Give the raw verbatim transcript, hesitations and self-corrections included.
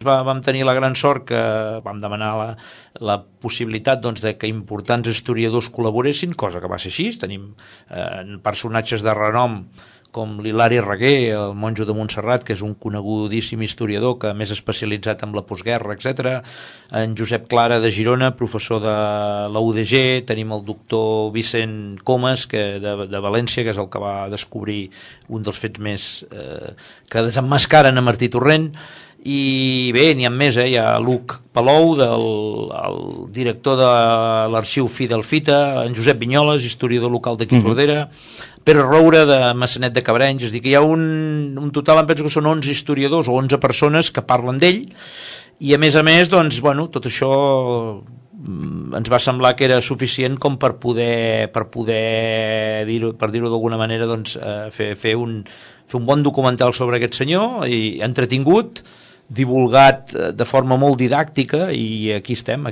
vam tenir la gran sort que vam demanar la, la possibilitat doncs, de que importants historiadors col·laboressin, cosa que va ser així. Tenim eh, personatges de renom com l'Hilari Reguer, el monjo de Montserrat, que és un conegudíssim historiador que més especialitzat en la postguerra, etcètera. En Josep Clara de Girona, professor de la U D G. Tenim el doctor Vicent Comas, que de, de València, que és el que va descobrir un dels fets més eh, que desemmascaren a Martí Torrent. I bé, n'hi ha més, eh? Hi ha Luc Palou, del, el director de l'arxiu Fidel Fita, en Josep Vinyoles, historiador local d'aquí mm-hmm. Tordera, Pere Roure de Massanet de Cabrenys. És a dir, que hi ha un, un total, em penso que són onze historiadors o onze persones que parlen d'ell, i a més a més, doncs, bueno, tot això ens va semblar que era suficient com per poder, per poder dir-ho, per dir-ho d'alguna manera, doncs, eh, fer, fer, un, fer un bon documental sobre aquest senyor, i entretingut, divulgat de forma molt didàctica, i aquí estem.